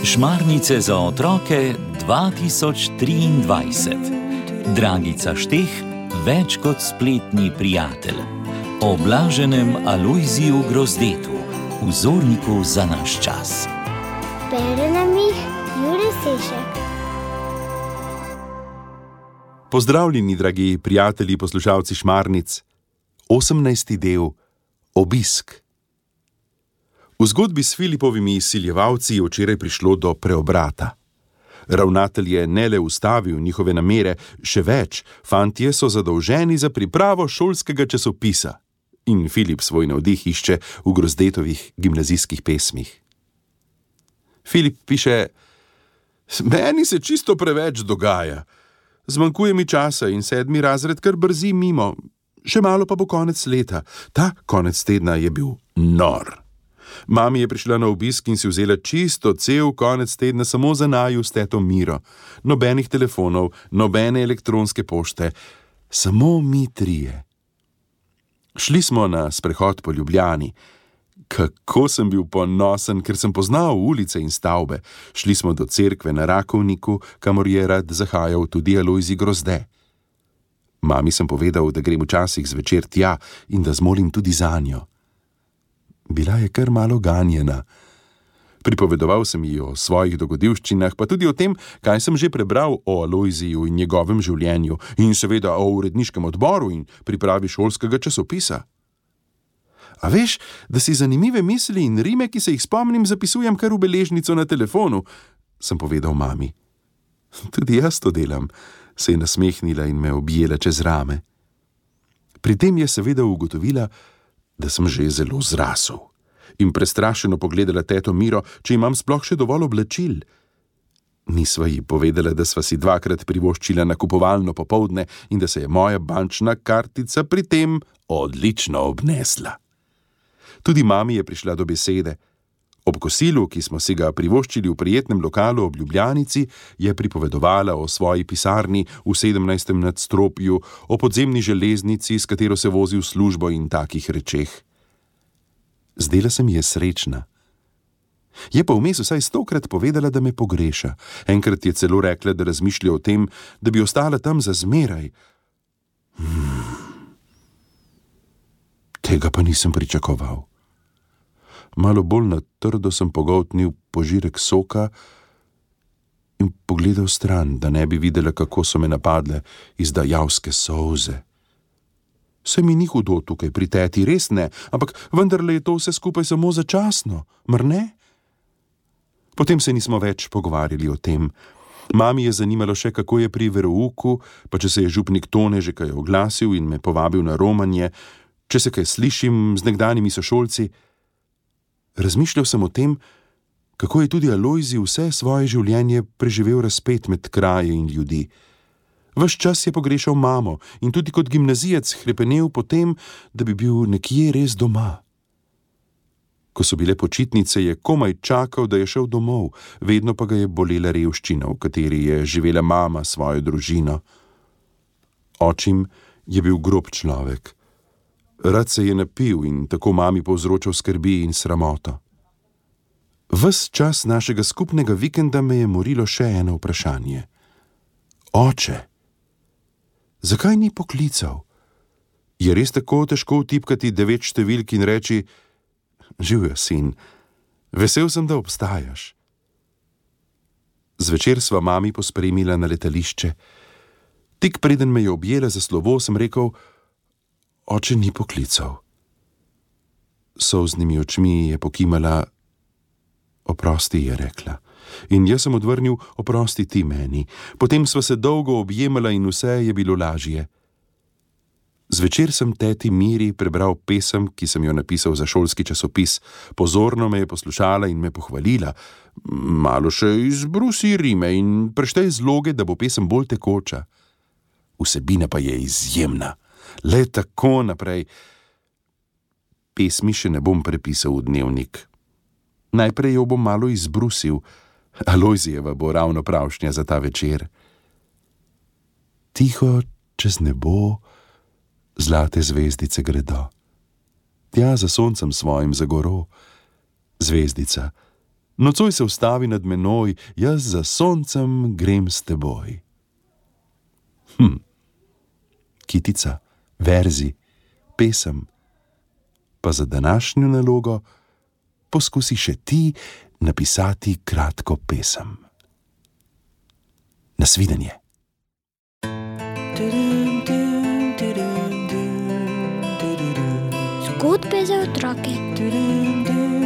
Šmarnice za otroke 2023. Dragica Šteh, več kot spletni prijatelj. O blaženem Alojziju Grozdetu, vzorniku za naš čas. Bere nam jih Jure Sešek. Pozdravljeni, dragi prijatelji, poslušalci Šmarnic. 18. del. Obisk. V zgodbi s Filipovimi izsiljevalci je včeraj prišlo do preobrata. Ravnatelj je ne le ustavil njihove namere, še več, fantje so zadolženi za pripravo šolskega časopisa. In Filip svoj navdih išče v Grozdetovih gimnazijskih pesmih. Filip piše: "Meni se čisto preveč dogaja. Zmanjkuje mi časa in 7. razred kar brzi mimo. Še malo pa bo konec leta. Ta konec tedna je bil nor. Mami je prišla na obisk in si vzela čisto cel konec tedna samo za naju s teto Miro. Nobenih telefonov, nobene elektronske pošte, samo mi trije. Šli smo na sprehod po Ljubljani. Kako sem bil ponosen, ker sem poznal ulice in stavbe. Šli smo do cerkve na Rakovniku, kamor je rad zahajal tudi Alojzij Grozde. Mami sem povedal, da grem včasih zvečer tja in da zmolim tudi zanjo. Bila je kar malo ganjena. Pripovedoval sem ji o svojih dogodivščinah, pa tudi o tem, kaj sem že prebral o Alojziju in njegovem življenju, in seveda o uredniškem odboru in pripravi šolskega časopisa. A veš, da si zanimive misli in rime, ki se jih spomnim, zapisujem kar v beležnico na telefonu, sem povedal mami. Tudi jaz to delam, se je nasmehnila in me objela čez rame. Pri tem je seveda ugotovila, da sem že zelo zrasel, in prestrašeno pogledala teto Miro, če imam sploh še dovolj oblačil. Nisva ji povedala, da sva si 2-krat privoščila nakupovalno popoldne in da se je moja bančna kartica pri tem odlično obnesla. Tudi mami je prišla do besede. Ob kosilu, ki smo si ga privoščili v prijetnem lokalu ob Ljubljanici, je pripovedovala o svoji pisarni v 17. nadstropju, o podzemni železnici, s katero se vozi v službo in takih rečeh. Zdela se mi je srečna. Je pa vmes vsaj 100-krat povedala, da me pogreša. Enkrat je celo rekla, da razmišlja o tem, da bi ostala tam za zmeraj. Tega pa nisem pričakoval. Malo bolj na trdo sem pogoltnil požirek soka in pogledal stran, da ne bi videla, kako so me napadle izdajavske solze. Se mi ni hudo tukaj pri teti, res ne, ampak vendarle je to vse skupaj samo začasno, mar ne? Potem se nismo več pogovarjali o tem. Mami je zanimalo še, kako je pri verouku, pa če se je župnik Tone že kaj oglasil in me povabil na romanje, če se kaj slišim z nekdanjimi sošolci. Razmišljal sem o tem, kako je tudi Alojzij vse svoje življenje preživel razpet med kraje in ljudi. Ves čas je pogrešal mamo in tudi kot gimnazijec hrepenel po tem, da bi bil nekje res doma. Ko so bile počitnice, je komaj čakal, da je šel domov, vedno pa ga je bolela revščina, v kateri je živela mama svojo družino. Očim je bil grob človek. Rad se je napil in tako mami povzročal skrbi in sramoto. Ves čas našega skupnega vikenda me je morilo še eno vprašanje. Oče, zakaj ni poklical? Je res tako težko vtipkati 9 številk in reči: "Živjo, sin, vesel sem, da obstajaš." Zvečer sva mami pospremila na letališče. Tik preden me je objela za slovo, sem rekel: "Oče ni poklical." S solznimi očmi je pokimala. "Oprosti," je rekla. In jaz sem odvrnil: "Oprosti ti meni." Potem sva se dolgo objemala in vse je bilo lažje. Zvečer sem teti Miri prebral pesem, ki sem jo napisal za šolski časopis. Pozorno me je poslušala in me pohvalila. Malo še izbrusi rime in preštej zloge, da bo pesem bolj tekoča. Vsebina pa je izjemna. Le tako naprej. Pesmi še ne bom prepisal v dnevnik. Najprej jo bom malo izbrusil. Alojzijeva bo ravno pravšnja za ta večer. Tiho čez nebo zlate zvezdice gredo. Tja za soncem svojim za goro. Zvezdica, nocoj se ustavi nad menoj, jaz za soncem grem s teboj. Kitica, verzi, pesem. Pa za današnjo nalogo poskusi še ti napisati kratko pesem. Nasvidenje. Zgodbe za otroke.